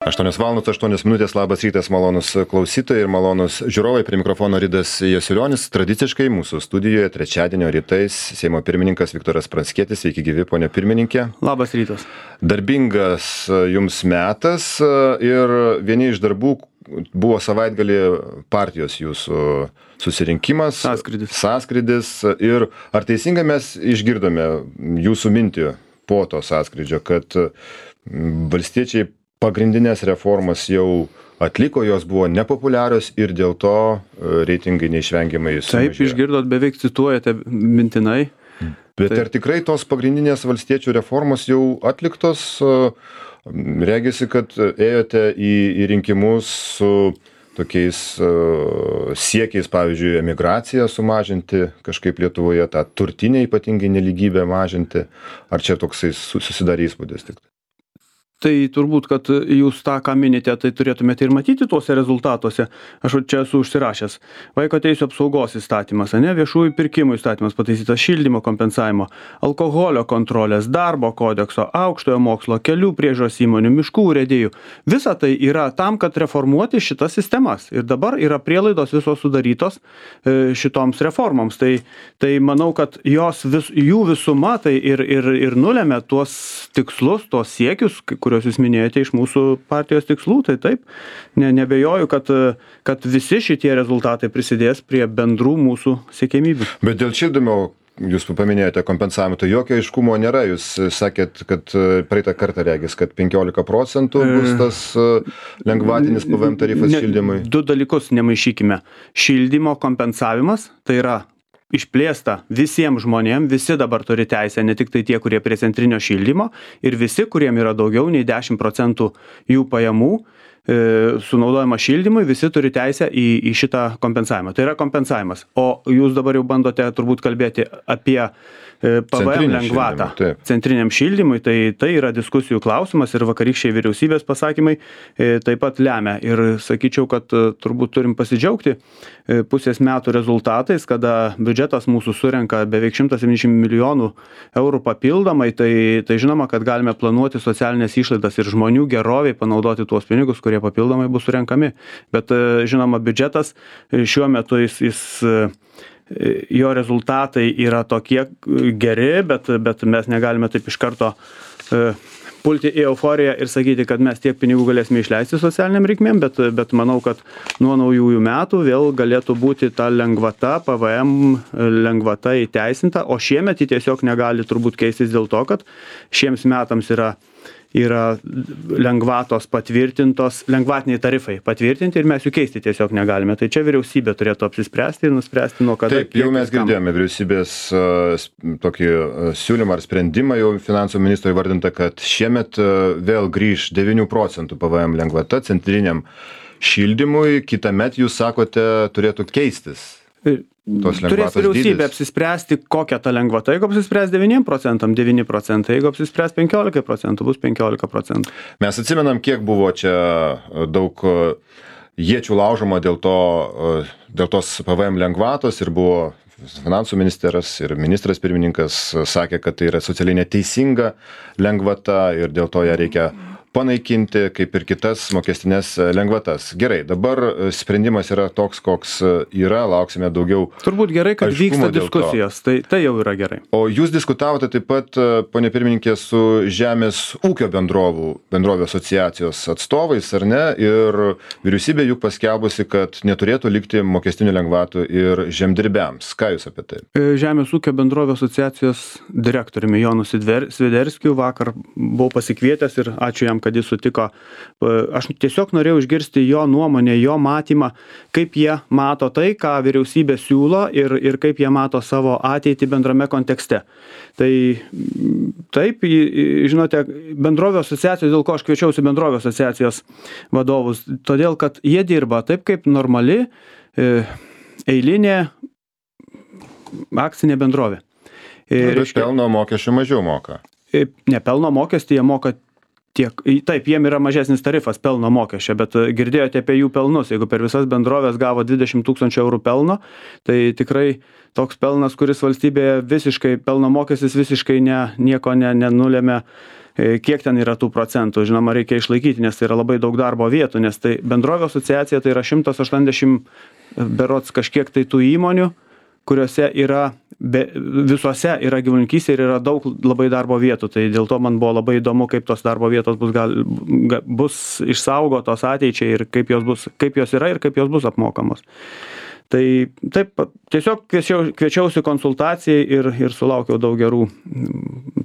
8:08, labas rytas, malonus klausytojai ir malonus žiūrovai, prie mikrofono Ridas Jasiulionis. Tradiciškai mūsų studijoje trečiadienio rytais Seimo pirmininkas Viktoras Pranckietis. Sveiki gyvi, ponia pirmininkė. Labas rytas. Darbingas jums metas ir vieni iš darbų buvo savaitgalį partijos jūsų susirinkimas. Sąskrydis. Ir ar teisingai mes išgirdome jūsų mintį po to sąskrydžio, kad valstiečiai pagrindinės reformas jau atliko, jos buvo nepopuliarios ir dėl to reitingai neišvengiamai sumažėjo. Taip, išgirdot, beveik cituojate mintinai. Bet ar tikrai tos pagrindinės valstiečių reformos jau atliktos? Regisi, kad ėjote į rinkimus su tokiais siekiais, pavyzdžiui, emigraciją sumažinti kažkaip Lietuvoje, tą turtinę ypatingai nelygybę mažinti. Ar čia toksai susidarė įspūdis tik? Tai turbūt, kad jūs tą, ką minite, tai turėtumėte ir matyti tuose rezultatuose. Aš čia esu užsirašęs. Vaiko teisių apsaugos įstatymas, viešųjų pirkimų įstatymas pataisytas, šildymo kompensavimo, alkoholio kontrolės, darbo kodekso, aukštojo mokslo, kelių priežiūros įmonių, miškų urėdijų. Visa tai yra tam, kad reformuoti šitas sistemas. Ir dabar yra prielaidos visos sudarytos šitoms reformoms. Tai manau, kad jų visuma tai ir nulėmė tuos tikslus, tuos siekius, kuriuos jūs minėjote iš mūsų partijos tikslų, tai taip, nebejoju, kad visi šitie rezultatai prisidės prie bendrų mūsų siekiamybių. Bet dėl šildymo, jūs paminėjote kompensavimą, tai jokio aiškumo nėra. Jūs sakėt, kad praeitą kartą regis, kad 15% bus tas lengvatinis PVM tarifas šildymui. Du dalykus nemaišykime. Šildymo kompensavimas, tai yra išplėsta visiems žmonėms, visi dabar turi teisę, ne tik tai tie, kurie prie centrinio šildymo, ir visi, kuriem yra daugiau nei 10% jų pajamų sunaudojama šildymui, visi turi teisę į šitą kompensavimą. Tai yra kompensavimas. O jūs dabar jau bandote turbūt kalbėti apie PVM lengvatą centriniam šildymui, tai yra diskusijų klausimas ir vakarykščiai vyriausybės pasakymai taip pat lemia. Ir sakyčiau, kad turbūt turim pasidžiaugti pusės metų rezultatais, kada biudžetas mūsų surenka beveik 170 milijonų eurų papildomai, tai žinoma, kad galime planuoti socialinės išlaidas ir žmonių geroviai panaudoti tuos pinigus, kurie papildomai bus surenkami. Bet žinoma, biudžetas šiuo metu jo rezultatai yra tokie geri, bet mes negalime taip iš karto pulti į euforiją ir sakyti, kad mes tiek pinigų galėsime išleisti socialiniam reikmėm, bet manau, kad nuo naujųjų metų vėl galėtų būti ta lengvata, PVM lengvata įteisinta, o šiemet ji tiesiog negali turbūt keistis dėl to, kad šiems metams yra lengvatos patvirtintos, lengvatiniai tarifai patvirtinti ir mes jų keisti tiesiog negalime. Tai čia vyriausybė turėtų apsispręsti ir nuspręsti nuo kada. Taip, jau mes girdėjome vyriausybės tokį siūlymą ar sprendimą, jau finansų ministro įvardinta, kad šiemet vėl grįž 9% PVM lengvata centriniam šildymui, kitąmet jūs sakote turėtų keistis. Turės vyriausybė apsispręsti, kokią tą lengvatą. Jeigu apsispręs 9%, 9%, jeigu apsispręs 15%, bus 15%. Mes atsimenam, kiek buvo čia daug iečių laužoma dėl tos PVM lengvatos ir buvo finansų ministeras ir ministras pirmininkas sakė, kad tai yra socialiai neteisinga lengvata ir dėl to ją reikia panaikinti, kaip ir kitas mokestinės lengvatas. Gerai, dabar sprendimas yra toks, koks yra, lauksime daugiau. Turbūt gerai, kad vyksta diskusijos, tai jau yra gerai. O jūs diskutavote taip pat, ponia pirmininkė, su Žemės ūkio bendrovių asociacijos atstovais, ar ne? Ir vyriausybė juk paskelbusi, kad neturėtų likti mokestinių lengvatų ir žemdirbiams. Ką jūs apie tai? Žemės ūkio bendrovių asociacijos direktoriumi Jonu Sviderskiu vakar buvau pasikvietęs ir ačiū jam, kad jis sutiko. Aš tiesiog norėjau išgirsti jo nuomonę, jo matymą, kaip jie mato tai, ką vyriausybė siūlo ir kaip jie mato savo ateitį bendrame kontekste. Tai taip, žinote, bendrovių asociacijos, dėl ko aš kviečiausi bendrovių asociacijos vadovus, todėl, kad jie dirba taip, kaip normali eilinė akcinė bendrovė. Bet pelno mokesčių mažiau moka. Ne pelno mokestį, jie moka Taip, jiem yra mažesnis tarifas pelno mokesčio, bet girdėjote apie jų pelnus. Jeigu per visas bendrovės gavo 20 000 eurų pelno, tai tikrai toks pelnas, kuris valstybėje visiškai, pelno mokestis visiškai nieko nenulėmė, kiek ten yra tų procentų. Žinoma, reikia išlaikyti, nes tai yra labai daug darbo vietų, nes tai bendrovė asociacija tai yra 180 berods kažkiek tai tų įmonių, kuriuose visuose yra gyvulininkystė ir yra daug labai darbo vietų. Tai dėl to man buvo labai įdomu, kaip tos darbo vietos bus išsaugotos ateičiai ir kaip jos yra ir kaip jos bus apmokamos. Tai taip, tiesiog kviečiausi konsultacijai ir sulaukiau daug gerų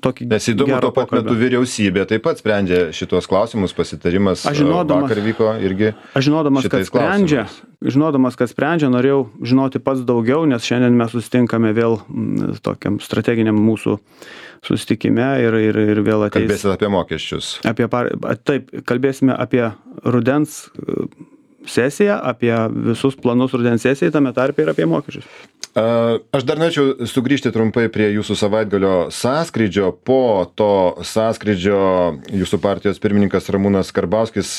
tokį Nes įdomu, tuo pat metu vyriausybė taip pat sprendžia šitos klausimus, pasitarimas vakar vyko irgi. Aš žinodamas, kad sprendžia, norėjau žinoti pats daugiau, nes šiandien mes susitinkame vėl tokiam strateginiam mūsų susitikime ir vėl ateis. Kalbėsite apie mokesčius. Taip, kalbėsime apie rudens sesiją, apie visus planus rudens sesijai, tame tarpe ir apie mokesčius. Aš dar norėčiau sugrįžti trumpai prie jūsų savaitgalio sąskrydžio. Po to sąskrydžio jūsų partijos pirmininkas Ramūnas Karbauskis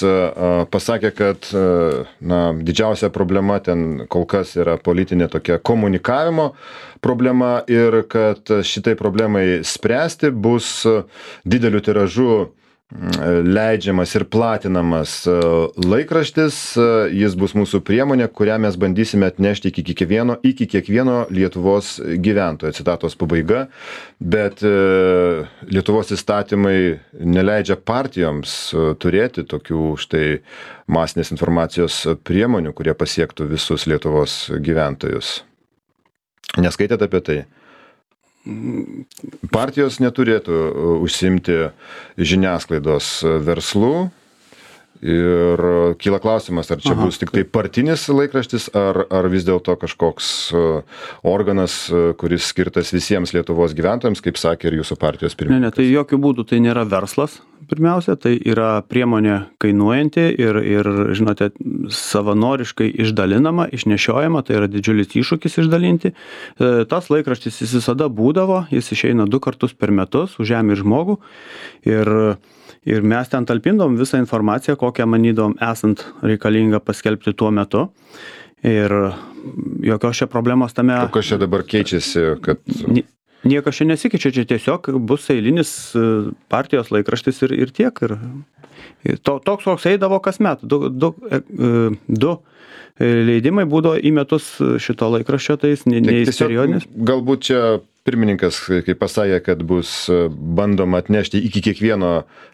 pasakė, kad didžiausia problema ten kol kas yra politinė tokia komunikavimo problema ir kad šitai problemai spręsti bus dideliu tiražu leidžiamas ir platinamas laikraštis, jis bus mūsų priemonė, kurią mes bandysime atnešti iki kiekvieno Lietuvos gyventojo, citatos pabaiga, bet Lietuvos įstatymai neleidžia partijoms turėti tokių štai masinės informacijos priemonių, kurie pasiektų visus Lietuvos gyventojus. Neskaitėte apie tai? Partijos neturėtų užsiimti žiniasklaidos verslu ir kyla klausimas, ar čia bus tik tai partinis laikraštis, ar vis dėlto kažkoks organas, kuris skirtas visiems Lietuvos gyventojams, kaip sakė ir jūsų partijos pirmininkas. Ne, tai jokių būdų tai nėra verslas. Pirmiausia, tai yra priemonė kainuojanti ir žinote, savanoriškai išdalinama, išnešiojama, tai yra didžiulis iššūkis išdalinti. Tas laikraštis jis visada būdavo, jis išeina 2 kartus per metus už žemę ir žmogų ir mes ten talpindom visą informaciją, kokią manydom esant reikalinga paskelbti tuo metu. Ir jokios čia problemos tame. Kas čia dabar keičiasi, kad... Niekas čia nesikeičia, čia tiesiog bus eilinis partijos laikraštis ir tiek. Ir toks, koks eidavo kasmet. 2 leidimai būdavo į metus šito laikraščio, tai jis neįsperiodinis. Galbūt čia pirmininkas, kaip pasakė, kad bus bandoma atnešti iki kiekvieno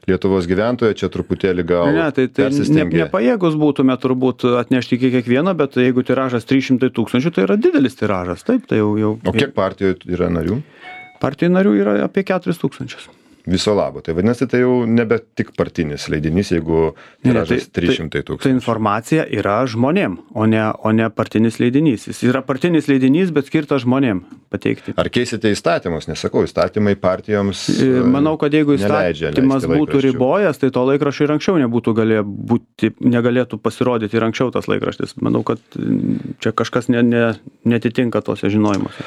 Lietuvos gyventojo, čia truputėlį gal persistengė. Nepajėgus būtume turbūt atnešti iki kiekvieno, bet jeigu tiražas 300 000, tai yra didelis tiražas. Taip, tai jau... O kiek partijų yra narių? Partijų narių yra apie 4 000. Viso labo. Tai vadinasi, tai jau nebe tik partinis leidinys, jeigu tiražas 300 000. Tai informacija yra žmonėm, o ne partinis leidinys. Jis yra partinis leidinys, bet skirtas žmonėm pateikti. Ar keisite įstatymus? Nesakau, įstatymai partijoms Manau, kad jeigu įstatymas būtų ribojęs, tai to laikraščio ir anksčiau negalėtų pasirodyti ir anksčiau tas laikraštis. Manau, kad čia kažkas netitinka tose žinojimuose.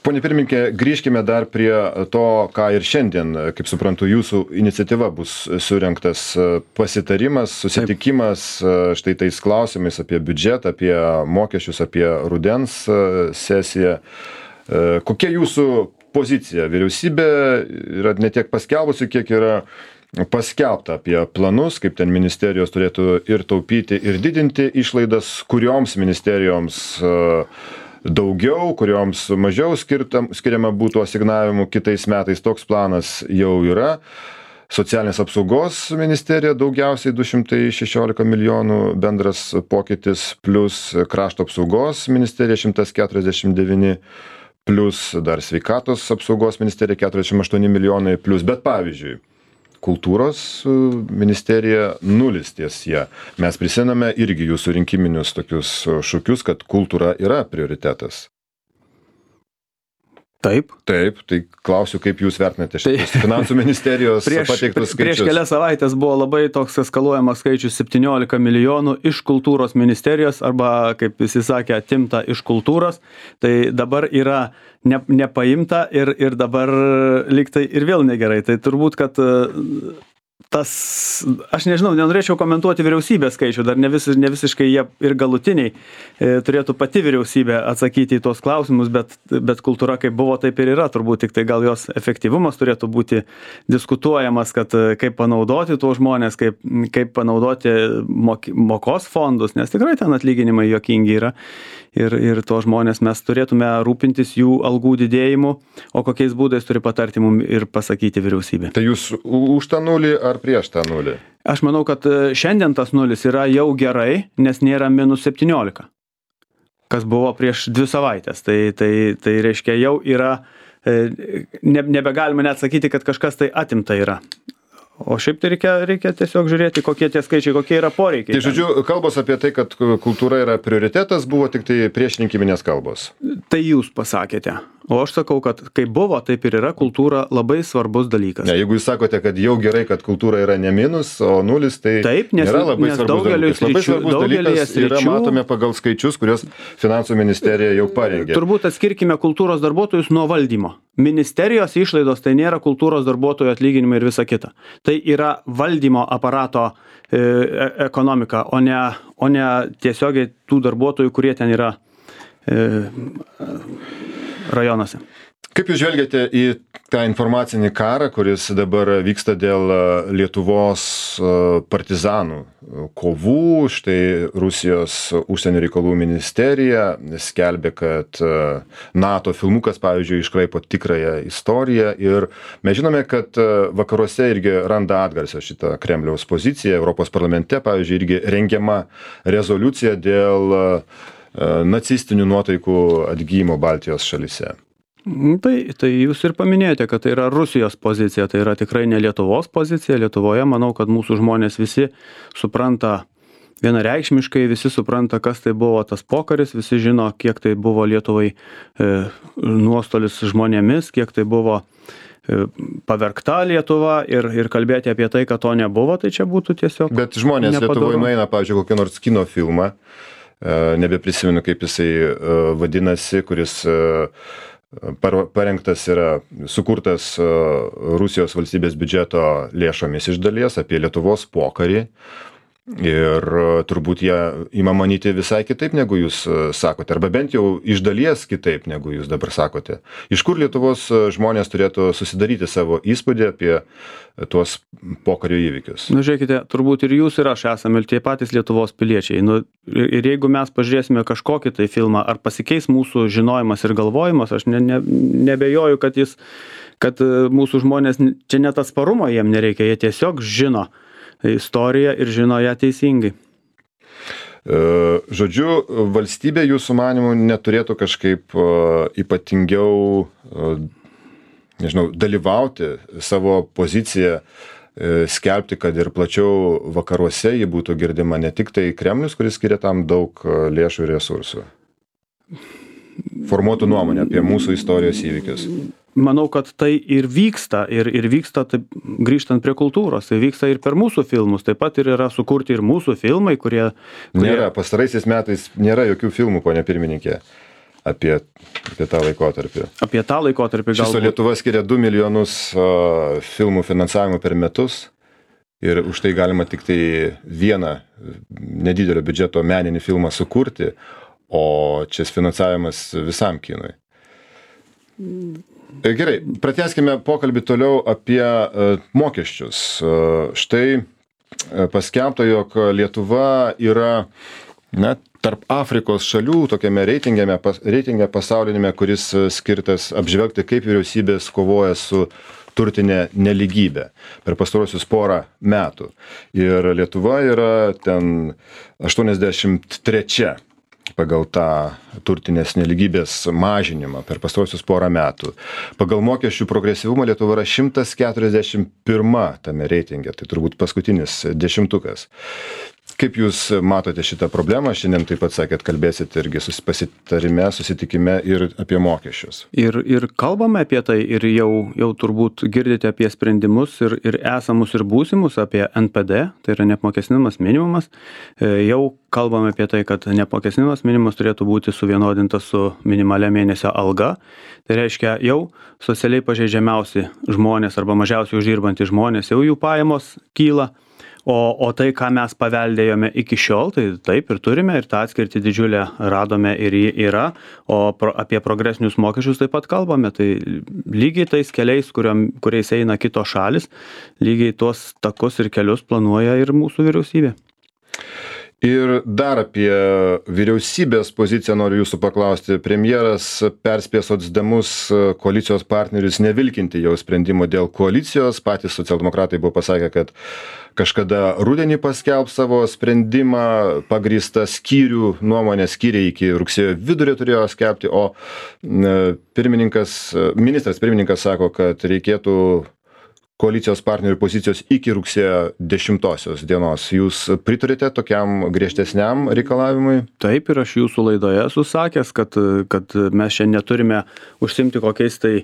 Pone pirmininkė, grįžkime dar prie to, ką ir šiandien, kaip suprantu, jūsų iniciatyva bus surengtas pasitarimas, susitikimas štai tais klausimais apie biudžetą, apie mokesčius, apie rudens sesiją. Kokia jūsų pozicija? Vyriausybė yra ne tiek paskelbusi, kiek yra paskelbta apie planus, kaip ten ministerijos turėtų ir taupyti, ir didinti išlaidas, kurioms ministerijoms daugiau, kurioms mažiau skiriama būtų asignavimų kitais metais. Toks planas jau yra. Socialinės apsaugos ministerija daugiausiai 216 milijonų bendras pokytis, plus krašto apsaugos ministerija 149, plus dar sveikatos apsaugos ministerija 48 milijonai, plus, bet pavyzdžiui, kultūros ministerija 0 ties ją. Mes prisimename irgi jūsų rinkiminius tokius šūkius, kad kultūra yra prioritetas. Taip. Taip, tai klausiu, kaip jūs vertinate šitus finansų ministerijos pateiktus skaičius. Prieš kelias savaitės buvo labai toks eskaluojamas skaičius 17 milijonų iš kultūros ministerijos, arba, kaip visi sakė, atimta iš kultūros. Tai dabar yra nepaimta ir dabar lygtai ir vėl negerai. Tai turbūt, kad aš nežinau, nenorėčiau komentuoti vyriausybės skaičių, dar ne visiškai jie ir galutiniai. Turėtų pati vyriausybė atsakyti į tuos klausimus, bet kultūra kaip buvo, taip ir yra. Turbūt tik tai gal jos efektyvumas turėtų būti diskutuojamas, kad kaip panaudoti tuos žmonės, kaip panaudoti mokos fondus, nes tikrai ten atlyginimai juokingi yra. Ir tuos žmonės mes turėtume rūpintis jų algų didėjimu, o kokiais būdais turi patarti mums ir pasakyti vyriausybė. Tai jūs už tą nulį ar prieš tą nulį? Aš manau, kad šiandien tas nulis yra jau gerai, nes nėra minus 17, kas buvo prieš 2 savaitės. Tai reiškia jau yra, nebegalime net sakyti, kad kažkas tai atimta yra. O šiaip tai reikia tiesiog žiūrėti, kokie tie skaičiai, kokie yra poreikiai. Tai žodžiu, kalbos apie tai, kad kultūra yra prioritetas, buvo tik tai priešrinkiminės kalbos. Tai jūs pasakėte. O aš sakau, kad kaip buvo, taip ir yra, kultūra labai svarbus dalykas. Ne, jeigu jūs sakote, kad jau gerai, kad kultūra yra ne minus, o nulis, tai taip, nėra labai svarbus dalykas. Labai svarbus dalykas yra matome pagal skaičius, kurios finansų ministerija jau parengė. Turbūt atskirkime kultūros darbuotojus nuo valdymo. Ministerijos išlaidos tai nėra kultūros darbuotojų atlyginimai ir visa kita. Tai yra valdymo aparato ekonomika, o ne tiesiogiai tų darbuotojų, kurie ten yra rajonuose. Kaip jūs žvelgiate į tą informacinį karą, kuris dabar vyksta dėl Lietuvos partizanų kovų? Štai Rusijos užsienio reikalų ministerija skelbia, kad NATO filmukas, pavyzdžiui, iškraipo tikrąją istoriją ir mes žinome, kad vakaruose irgi randa atgarsio šitą Kremliaus poziciją. Europos parlamente, pavyzdžiui, irgi rengiama rezoliucija dėl nacistinių nuotaikų atgyjimo Baltijos šalyse. Tai jūs ir paminėjote, kad tai yra Rusijos pozicija, tai yra tikrai ne Lietuvos pozicija. Lietuvoje manau, kad mūsų žmonės visi supranta vienareikšmiškai, visi supranta, kas tai buvo tas pokaris, visi žino, kiek tai buvo Lietuvai nuostolis žmonėmis, kiek tai buvo pavergta Lietuva ir kalbėti apie tai, kad to nebuvo, tai čia būtų tiesiog Bet žmonės nepadaru. Lietuvoje nueina, pavyzdžiui, kokią nors kino filmą, nebeprisimenu, kaip jisai vadinasi, kuris parengtas yra, sukurtas Rusijos valstybės biudžeto lėšomis iš dalies apie Lietuvos pokarį. Ir turbūt jie ima manyti visai kitaip, negu jūs sakote, arba bent jau iš dalies kitaip, negu jūs dabar sakote. Iš kur Lietuvos žmonės turėtų susidaryti savo įspūdį apie tuos pokario įvykius? Žiūrėkite, turbūt ir jūs ir aš esame tie patys Lietuvos piliečiai. Ir jeigu mes pažiūrėsime kažkokį tai filmą, ar pasikeis mūsų žinojimas ir galvojimas, aš nebejoju, kad mūsų žmonės, čia net atsparumo jiem nereikia, jie tiesiog žino istoriją ir žino ją teisingai. Žodžiu, valstybė jūsų manimų neturėtų kažkaip ypatingiau, nežinau, dalyvauti savo poziciją, skelbti, kad ir plačiau vakaruose ji būtų girdima, ne tik tai Kremlius, kuris skiria tam daug lėšų ir resursų. Formuotų nuomonę apie mūsų istorijos įvykius. Manau, kad tai ir vyksta, ir vyksta, taip, grįžtant prie kultūros, tai vyksta ir per mūsų filmus, taip pat ir yra sukurti ir mūsų filmai, kurie... Nėra, pastaraisiais metais nėra jokių filmų, ponia pirmininkė, apie tą laikotarpį. Apie tą laikotarpį galbūt. Šiso Lietuva skiria 2 milijonus filmų finansavimo per metus ir už tai galima tik tai vieną nedidelio biudžeto meninį filmą sukurti, o čia finansavimas visam kinui. Gerai, pratęskime pokalbį toliau apie mokesčius. Štai paskelbta, jog Lietuva yra tarp Afrikos šalių tokiame reitinge pasaulinėme, kuris skirtas apžvelgti, kaip vyriausybės kovoja su turtinė nelygybė per pastarosius porą metų. Ir Lietuva yra ten 83 pagal tą turtinės nelygybės mažinimą per pastarosius porą metų. Pagal mokesčių progresyvumą Lietuva yra 141 tame reitinge, tai turbūt paskutinis dešimtukas. Kaip Jūs matote šitą problemą? Šiandien taip pat sakėt, kalbėsit irgi pasitarime, susitikime ir apie mokesčius. Ir kalbame apie tai ir jau turbūt girdite apie sprendimus ir esamus ir būsimus, apie NPD, tai yra neapmokestinamas minimumas. Jau kalbame apie tai, kad neapmokestinamas minimumas turėtų būti suvienodintas su minimalia mėnesio alga. Tai reiškia, jau socialiai pažeidžiamiausi žmonės arba mažiausiai uždirbantys žmonės, jau jų pajamos kyla. O tai, ką mes paveldėjome iki šiol, tai taip ir turime, ir tą atskirtį didžiulę radome ir ji yra, o apie progresinius mokesčius taip pat kalbame, tai lygiai tais keliais, kuriais eina kitos šalis, lygiai tuos takus ir kelius planuoja ir mūsų vyriausybė. Ir dar apie vyriausybės poziciją noriu jūsų paklausti. Premjeras perspėjo socdemus koalicijos partnerius nevilkinti jau sprendimo dėl koalicijos. Patys socialdemokratai buvo pasakę, kad kažkada rudenį paskelbs savo sprendimą, pagrįstą skyrių nuomonę, skyriai iki rugsėjo vidurio turėjo skelbti, o ministras pirmininkas sako, kad reikėtų koalicijos partnerių pozicijos iki rugsėjo 10 dienos. Jūs pritarėte tokiam griežtesniam reikalavimui? Taip, ir aš jūsų laidoje esu sakęs, kad mes šiandien neturime užsimti kokiais tai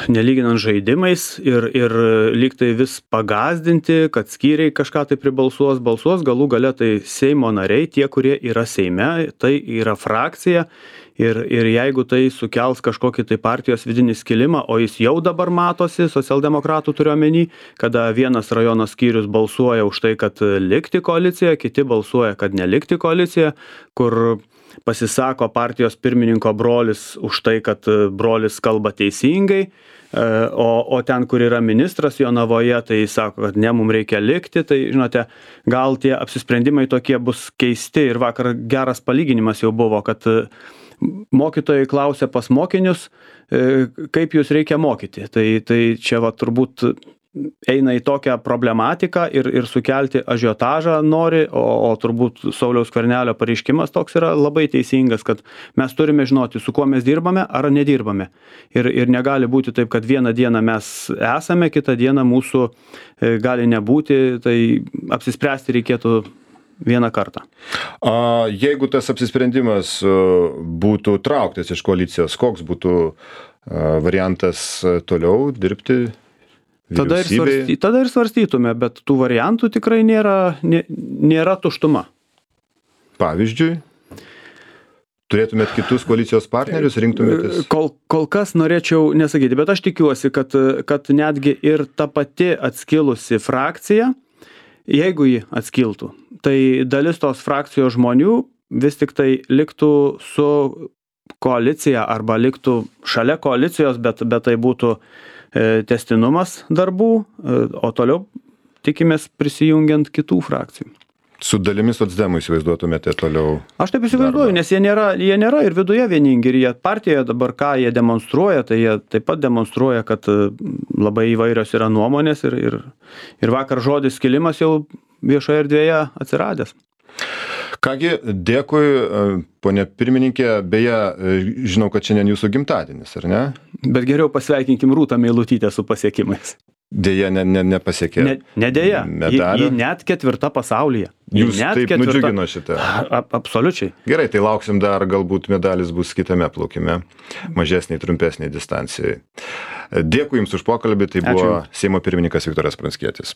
nelyginant žaidimais ir lyg tai vis pagazdinti, kad skyriai kažką tai balsuos, galų gale tai Seimo nariai, tie, kurie yra Seime, tai yra frakcija. Ir jeigu tai sukels kažkokį tai partijos vidinį skilimą, o jis jau dabar matosi, socialdemokratų turiuomenį, kada vienas rajono skyrius balsuoja už tai, kad likti koalicijoje, kiti balsuoja, kad nelikti koalicijoje, kur pasisako partijos pirmininko brolis už tai, kad brolis kalba teisingai, o ten, kur yra ministras Jonavoje, tai sako, kad ne, mums reikia likti, tai žinote, gal tie apsisprendimai tokie bus keisti ir vakar geras palyginimas jau buvo, kad mokytojai klausia pas mokinius, kaip jūs reikia mokyti. Tai čia va turbūt eina į tokią problematiką ir sukelti ažiotažą nori, o turbūt Sauliaus Skvernelio pareiškimas toks yra labai teisingas, kad mes turime žinoti, su kuo mes dirbame ar nedirbame. Ir negali būti taip, kad vieną dieną mes esame, kitą dieną mūsų gali nebūti, tai apsispręsti reikėtų vieną kartą. Jeigu tas apsisprendimas būtų trauktas iš koalicijos, koks būtų variantas toliau dirbti vyriausybėje? Tada ir svarstytume, bet tų variantų tikrai nėra tuštuma. Pavyzdžiui, turėtumėt kitus koalicijos partnerius, rinktumėtės? Kol kas norėčiau nesakyti, bet aš tikiuosi, kad netgi ir ta pati atskilusi frakcija, jeigu ji atskiltų, tai dalis tos frakcijos žmonių vis tik tai liktų su koalicija arba liktų šalia koalicijos, bet tai būtų tęstinumas darbų, o toliau tikimės prisijungiant kitų frakcijų. Su dalimis socdemų įsivaizduotumėte toliau? Aš taip įsivaizduoju, nes jie nėra ir viduje vieningi, ir jie partijoje dabar ką jie demonstruoja, tai jie taip pat demonstruoja, kad labai įvairios yra nuomonės ir vakar žodis skilimas jau viešoje erdvėje atsiradęs. Kągi, dėkui, ponė pirmininkė, beje, žinau, kad šiandien jūsų gimtadienis, ar ne? Bet geriau pasveikinkim Rūtą Meilutytę su pasiekimais. Dėja, nepasiekė. Ne dėja, ji net 4. pasaulyje. Jūs taip nudžiugino šitą. Absoliučiai. Gerai, tai lauksim dar, galbūt medalis bus kitame plaukime, mažesniai, trumpesniai distancijai. Dėkui Jums už pokalbį, tai buvo Seimo pirmininkas Viktoras Pranckietis.